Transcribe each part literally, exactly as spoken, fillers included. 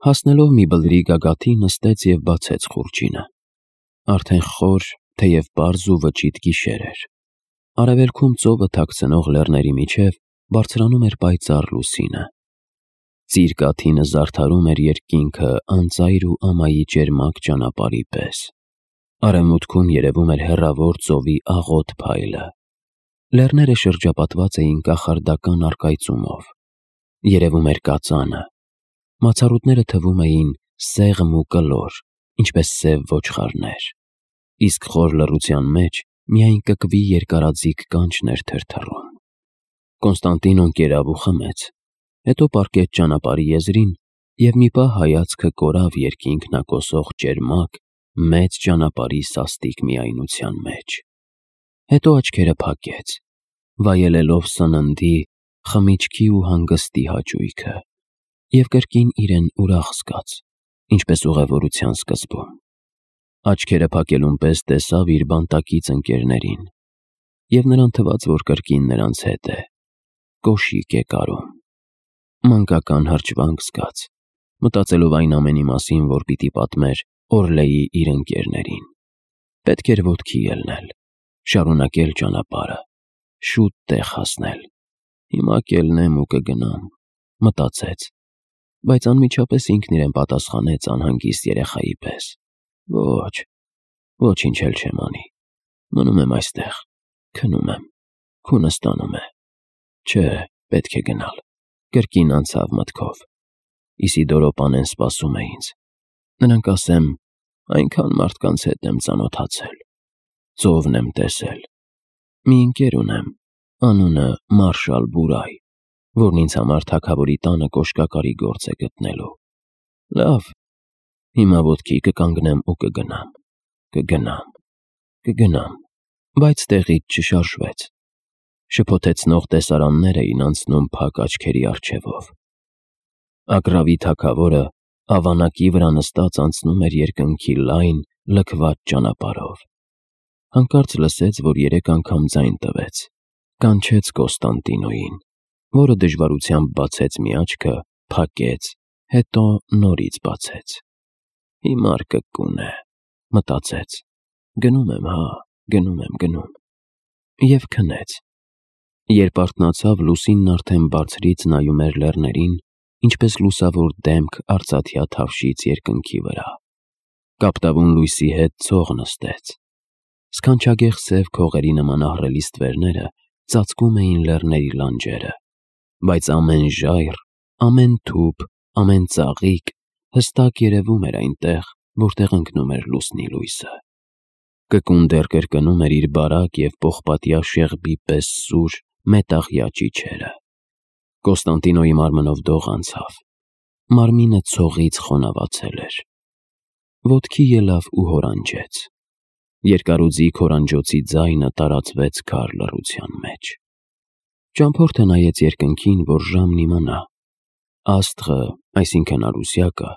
Հասնելով մի բլրի գագաթի նստեց և բացեց խուրջինը։ Արդեն խոր, թեև պարզ ու վճիտ գիշեր էր։ Արևելքում ծովը թաքցնող լեռների միջև բարձրանում էր պայծառ լուսինը։ Ծիր կաթինը զարդարում էր երկինքը անծայր ու ամայի ճերմակ ճանապարհի պես։ Արևմուտքում երևում էր հեռավոր ծովի աղոտ փայլը։ Լեռները շրջապատված էին կախարդական առկայծումով։ Երևում էր կածանը։ Մացառուտները թվում էին սեղմ ու կլոր, ինչպես սև ոչխարներ, իսկ խոր լռության մեջ միայն կկվի երկարաձիգ կանչն էր թրթռում։ Կոնստանտինոն կերավ ու խմեց, հետո պառկեց ճանապարհի եզրին և մի պահ հայացքը կորավ երկինքնակոսող ճերմակ, մեծ ճանապարհի սաստիկ միայնության մեջ։ Հետո աչքերը փակեց, վայելելով սննդի, խմիչքի ու հանգստի հաճույքը, և կրկին իրեն ուրախ զգաց, ինչպես ուղևորության սկզբում։ Աչքերը փակելուն պես տեսավ իր բանտակից ընկերներին, և նրան թվաց, որ կրկին նրանց հետ է, կոշիկ է կարում։ Մանկական հրճվանք զգաց, մտածելով այն ամենի մասին, որ պիտի պատմեր Օրլեի իր ընկերներին։ Պետք էր ոտքի ելնել, շարունակել ճանապարհը, շուտ տեղ հասնել։ Հիմա կելնեմ ու կգնամ, մտածեց, բայց անմիջապես ինքն իրեն պատասխանեց անհանգիստ երեխայի պես. Ոչ, ոչինչ էլ չեմ անի, մնում եմ այստեղ, քնում եմ, քունը ստանում է։ Չէ, պետք է գնալ, կրկին անցավ մտքով։ Իսիդորո պանեն սպասում է ինձ։ Նրանք, ասեմ, այնքան մարդկանց հետ եմ ծանոթացել, ծովն եմ տեսել։ Մի ընկեր ունեմ, անունը Մարշալ Բուրայ, որն ինձ համար թագավորի տանը կոշկակարի գործ է գտնելու։ Լավ, հիմա ոտքի կկանգնեմ ու կգնամ, կգնամ, կգնամ, բայց տեղից չշարժվեց։ Շփոթեցնող տեսարաններ էին անցնում փակ աչքերի առջևով։ Ագռավի թագավորը ավանակի վրա նստած անցնում էր երկնքի լայն, լքված ճանապարհով։ Հանկարծ լսեց, որ երեք անգամ ձայն տվեց, կանչեց Կոնստանտինոյին, որը դժվարությամբ բացեց մի աչքը, փակեց, հետո նորից բացեց։ Հիմար կկուն է, մտածեց, գնում եմ, հա, գնում եմ, գնում։ Եվ քնեց։ Երբ արթնացավ, լուսինն արդեն բարձրից նայում էր լեռներին, ինչպես լուսավոր դեմք արծաթյա թավշից երկնքի վրա։ Կապտավուն լույսի հետ ցող նստեց։ Սքանչագեղ սև քողերի նման ահռելի ստվերները ծածկում էին լեռների լանջերը, բայց ամեն ժայռ, ամեն թուփ, ամեն ծաղիկ հստակ երևում էր այնտեղ, որտեղ ընկնում էր լուսնի լույսը։ Կկուն դեռ կրկնում էր իր բարակ և պողպատյա շեղբի պես սուր, մետաղյա ճիչերը։ Կոնստանտինոյի մարմնով դող անցավ։ Մարմինը ցողից խոնավացել էր։ Ոտքի ելավ ու հորանջեց։ Երկարուձիգ հորանջոցի ձայնը տարածվեց քար լռության մեջ։ Ճամփորդը նայեց երկնքին, որ ժամն իմանա։ Աստղը, այսինքն առուսյակը,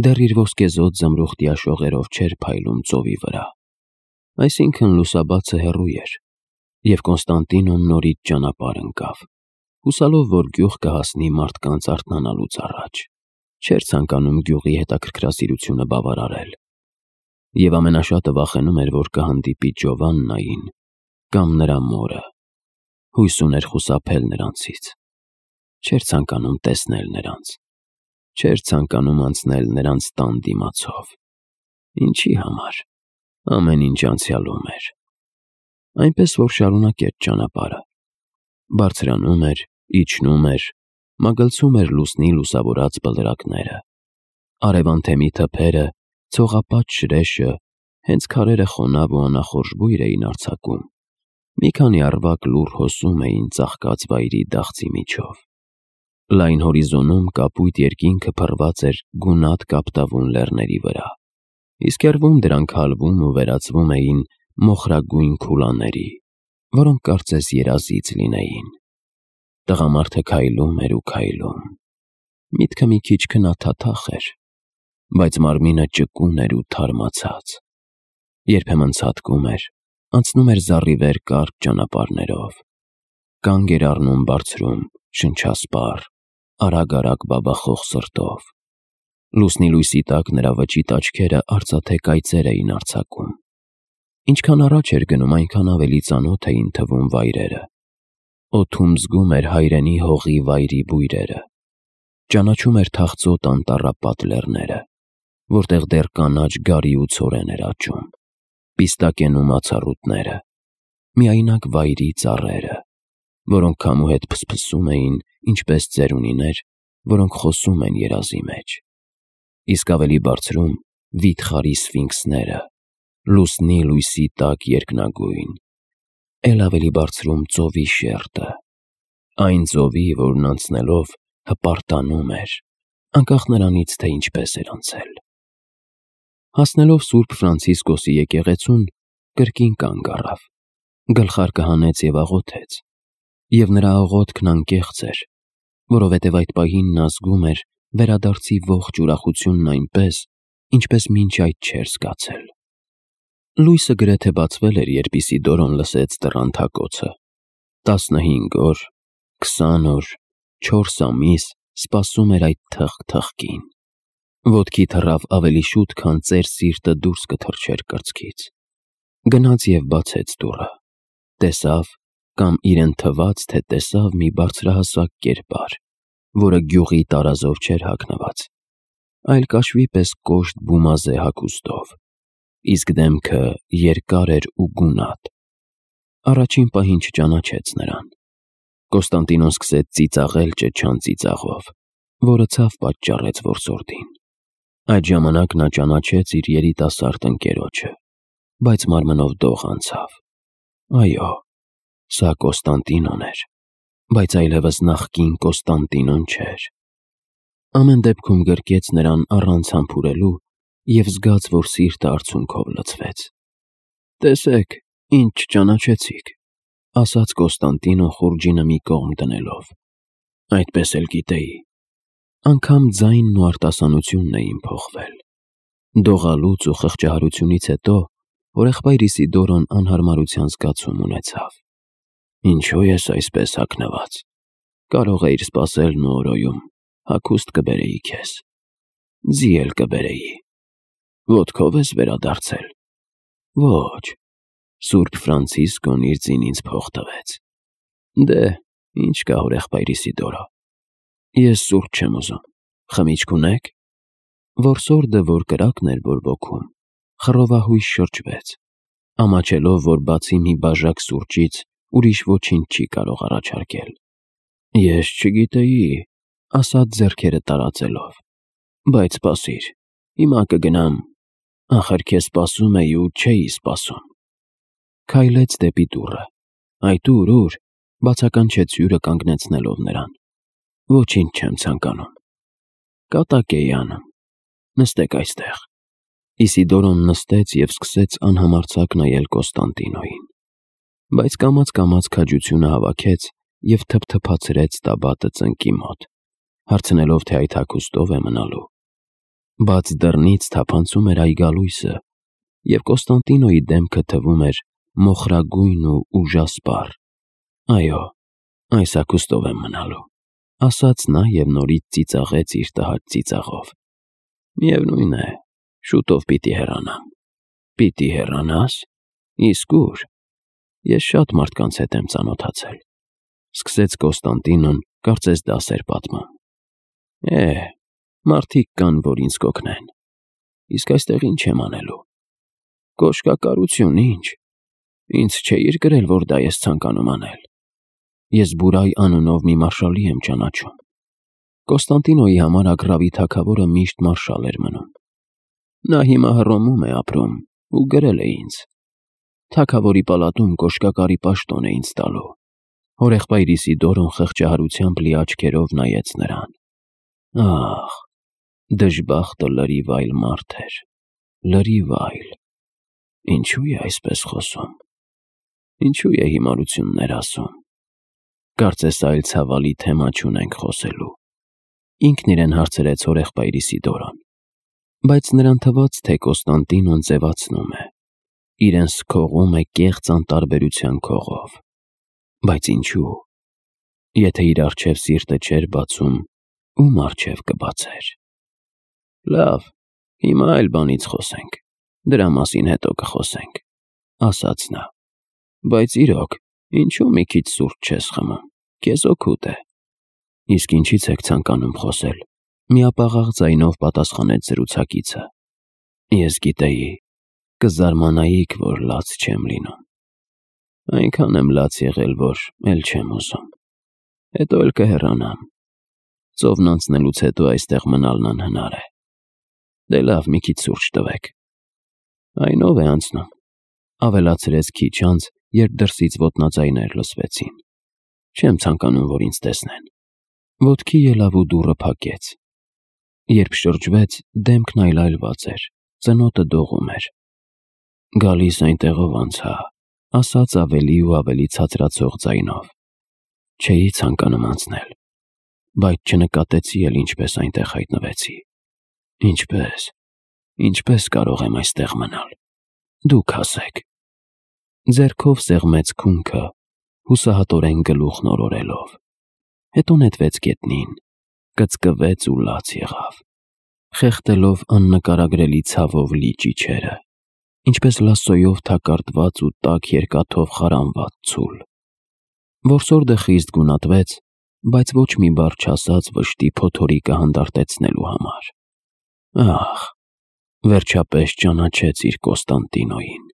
դեռ իր ոսկեզօծ զմրուխտյա շողերով չէր փայլում ծովի վրա։ Այսինքն լուսաբացը հեռու էր, և Կոնստանտինոն նորից ճանապարհ ընկավ, հուսալով, որ գյուղ կհասնի մարդկանց արթնանալուց առաջ։ Չէր ցանկանում գյուղի հետաքրքրասիրությունը բավարարել։ Եվ ամենաշատը վախենում էր, որ կհանդիպի Ջովաննային կամ նրա մորը։ Հույս ուներ խուսափել նրանցից։ Չէր ցանկանում տեսնել նրանց։ Չէր ցանկանում անցնել նրանց տան դիմացով։ Ինչի համար։ Ամեն ինչ անցյալում էր։ Այնպես որ շարունակեց ճանապարհը։ Բարձրանում էր, իջնում էր, մագլցում էր լուսնի լուսավորած բլրակները։ Արևանթեմի թփերը, ցողապատ շրեշը, հենց քարերը խոնավ ու անախորժ բույր էին արձակում։ Մի քանի առվակ լուռ հոսում էին ծաղկած վայրի դաղձի միջով։ Լայն հորիզոնում կապույտ երկինքը փռված էր գունատ կապտավուն լեռների վրա, իսկ հեռվում դրանք հալվում ու վերածվում էին մոխրագույն քուլաների, որոնք կարծես երազիծ լինեին։ Տղամարդը քայլում էր ու քայլում։ Միտքը մի քիչ քնաթաթախ էր, բայց մարմինը ճկուն էր ու թարմացած։ Երբեմն ցատկում էր, անցնում էր զառիվեր կարճ ճանապարհներով։ Կանգ էր առնում բարձրում, շնչասպառ, արագ-արագ բաբախող սրտով։ Լուսնի լույսի տակ նրա վճիտ աչքերը արծաթե կայծեր էին արձակում։ Ինչքան առաջ էր գնում, այնքան ավելի ծանոթ էին թվում վայրերը։ Օդում զգում էր հայրենի հողի վայրի բույրերը։ Ճանաչում էր թախծոտ անտառապատ լեռները, որտեղ դեռ կանաչ գարի ու ցորեն էր աճում, պիստակեն ու մացառուտները, միայնակ վայրի ծառերը, որոնք քամու հետ փսփսում էին, ինչպես ծերունիներ, որոնք խոսում են երազի մեջ։ Իսկ ավելի բարձրում վիթխարի սֆինքսները, լուսնի լույսի տակ երկնագույն, էլ ավելի բարձրում ծովի շերտը, այն ծովի, որն անցնելով հպարտանում էր, անկախ նրանից, թե ինչպես էր անցել։ Հասնելով Սուրբ Ֆրանցիսկոսի եկեղեցուն, կրկին կանգ առավ, գլխարկը հանեց և աղոթեց, և նրա աղոթքն անկեղծ էր, որովհետև այդ պահին նա զգում էր վերադարձի ողջ ուրախությունն այնպես, ինչպես մինչ այդ չէր զգացել։ Լույսը գրեթե բացվել էր, երբ Իսիդորոն լսեց դռան թակոցը։ Տասնհինգ օր, քսան օր, չորս ամիս սպասում էր այդ թխ-թխկին։ Ոտքի թռավ ավելի շուտ, քան ծեր սիրտը դուրս կթռչեր կրծքից։ Գնաց և բացեց դուռը։ Տեսավ, կամ իրեն թվաց, թե տեսավ մի բարձրահասակ կերպար, որը գյուղի տարազով չէր հագնված, այլ կաշվի պես կոշտ բումազե հագուստով, իսկ դեմքը երկար էր ու գունատ։ Առաջին պահին չճանաչեց նրան։ Կոստանդինոն սկսեց ծիծաղել ճչան ծիծաղով, որը ցավ պատճառեց որսորդին։ Այդ ժամանակ նա ճանաչեց իր երիտասարդ ընկերոջը, բայց մարմնով դող անցավ։ Այո, սա Կոստանդինոն էր, բայց այլևս նախկին Կոստանդինոն չէր։ Ամեն դեպքում գրկեց նրան առանց համբուրելու և զգաց, որ սիրտը արցունքով լցվեց։ «Տեսեք, ինձ չճանաչեցիք», ասաց Կոստանդինոն խուրջինը մի կողմ դնելով։ «Այդպես էլ գիտեի»։ Անգամ ձայնն ու արտասանությունն էին փոխվել։ Դողալուց ու խղճահարությունից հետո հորեղբայր Իսիդորոն անհարմարության զգացում ունեցավ։ «Ինչո՞ւ ես այսպես հագնված։ Կարող էիր սպասել Նուորոյում, հագուստ կբերեի քեզ, ձի էլ կբերեի։ Ոտքով ես վերադարձել։ Ոչ, Սուրբ Ֆրանցիսկոն իր ձին ինձ փող տվեց։ Դե, ինչ կա, հորեղբայր Իսիդորո, ես սուրճ չեմ ուզում, խմիչք ունե՞ք»։ Որսորդը, որ կրակն էր բորբոքում, խռովահույս շրջվեց, ամաչելով, որ բացի մի բաժակ սուրճից ուրիշ ոչինչ չի կարող առաջարկել։ «Ես չգիտեի», ասաց ձեռքերը տարածելով, «բայց սպասիր, հիմա կգնամ, ախր քեզ սպասում էի ու չէի սպասում»։ Քայլեց դեպի դուռը։ «Այդ ուր, ուր», բացականչեց հյուրը կանգնեցնելով նրան։ «Ոչինչ չեմ ցանկանում»։ «Կատակ էի անում, նստեք այստեղ»։ Իսիդորոն նստեց և սկսեց անհամարձակ նայել Կոստանդինոյին, բայց կամաց-կամաց քաջությունը հավաքեց և թփթփացրեց տաբատը ծնկի մոտ, հարցնելով, թե այդ հագուստով է մնալու։ Բաց դռնից թափանցում էր այգալույսը, և Կոստանդինոյի դեմքը թվում էր մոխրագույն ու ուժասպառ։ «Այո, այս հագուստով եմ մնալու», ասաց նա և նորից ծիծաղեց իր տհաճ ծիծաղով։ «Միևնույն է, շուտով պիտի հեռանամ»։ «Պիտի հեռանա՞ս։ Իսկ ո՞ւր։ Ես շատ մարդկանց հետ եմ ծանոթացել», սկսեց Կոստանդինոն, կարծես դաս էր պատմում։ «Է, մարդիկ կան, որ ինձ կօգնեն։ Իսկ այստեղ ինչ եմ անելու։ Կոշկակարություն, ինչ։ Ինձ չէիր գրել, որ դա ես ցանկանում անել։ Ես Բուրայ անունով մի մարշալի եմ ճանաչում։ Կոստանդինոյի համար Ագռավի թագավորը միշտ մարշալ էր մնում։ Նա հիմա Հռոմում է ապրում ու գրել է ինձ։ Թագավորի պալատում կոշկակարի պաշտոն է ինձ տալու»։ Հորեղբայր Իսիդորոն խղճահարությամբ լի աչքերով նայեց նրան։ Ահ, դժբախտը լրիվ այլ մարդ էր, լրիվ այլ։ Ինչու է այսպես խոսում։ Ինչու է հիմարություններ ասում։ Կարծես այլ ցավալի թեմա չունենք խոսելու։ Ինքն իրեն հարցրեց հորեղբայր Իսիդորոն։ Բայց նրան թվաց, թե Կոստանդինոն ձևացնում է, իրեն սքողում է կեղծ անտարբերության քողով։ Բայց ինչու։ Եթե իր առջև սիրտը չէր բացում, ում առջև կբացեր։ Լավ, հիմա այլ բանից խոսենք, դրա մասին հետո կխոսենք, ասաց նա, բայց իրոք, ինչու մի քիչ սուրճ չես խմում, քեզ օգուտ է։ Իսկ ինչից եք ցանկանում խոսել, միապաղաղ ձայնով պատասխանեց զրուցակիցը։ Ես գիտեի, կզարմանայիք, որ լաց չեմ լինում։ Այնքան եմ լաց եղել, որ էլ չեմ ուզում։ Հետո էլ կհեռանամ։ Ծովն անցնելուց հետո այստեղ մնալն անհնար է։ Դե լավ, մի քիչ սուրճ տվեք։ Այն ով է անցնում, ավելացրեց քիչ անց, երբ դրսից ոտնաձայներ լսվեցին։ Չեմ ցանկանում, որ ինձ տեսնեն։ Ոտքի ելավ ու դուռը փակեց։ Երբ շրջվեց, դեմքն այլայլված էր, ծնոտը դողում էր։ Գալիս այնտեղով անցա, ասաց ավելի ու ավելի ցածրացող ձայնով։ Չէի ցանկանում անցնել, բայց չնկատեցի էլ ինչպես այնտեղ հայտնվեցի։ Ինչպես, ինչպես կարող եմ այստեղ մնալ։ Դուք ասեք։ Ձեռքով սեղմեց քունքը, հուսահատորեն գլուխն օրորելով։ Հետո նետվեց գետնին, կծկվեց ու լաց եղավ, խեղդելով աննկարագրելի ցավով լի ճիչերը, ինչպես լասոյով թակարդված ու տաք երկաթով խարանված ցուլ։ Որսորդը խիստ գունատվեց, բայց ոչ մի բառ չասաց վշտի փոթորիկը հանդարտեցնելու համար։ Ահ, վերջապես ճանաչեց իր Կոստանդինոյին։